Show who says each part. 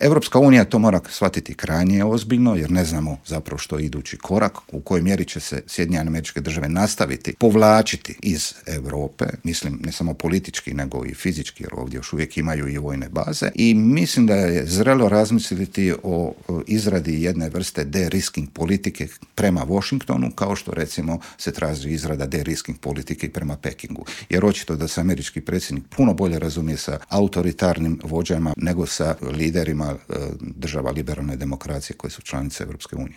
Speaker 1: Europska unija to mora shvatiti krajnje ozbiljno, jer ne znamo zapravo što je idući korak, u kojoj mjeri će se Sjedinjene Američke Države nastaviti povlačiti iz Europe, mislim ne samo politički nego i fizički, jer ovdje još uvijek imaju i vojne baze, i mislim da je zrelo razmisliti o izradi jedne vrste de-risking politike prema Washingtonu, kao što recimo se traži izrada de-risking politike prema Pekingu. Jer očito da se američki predsjednik puno bolje razumije sa autoritarnim vođama nego sa liderima država liberalne demokracije koje su članice Europske unije.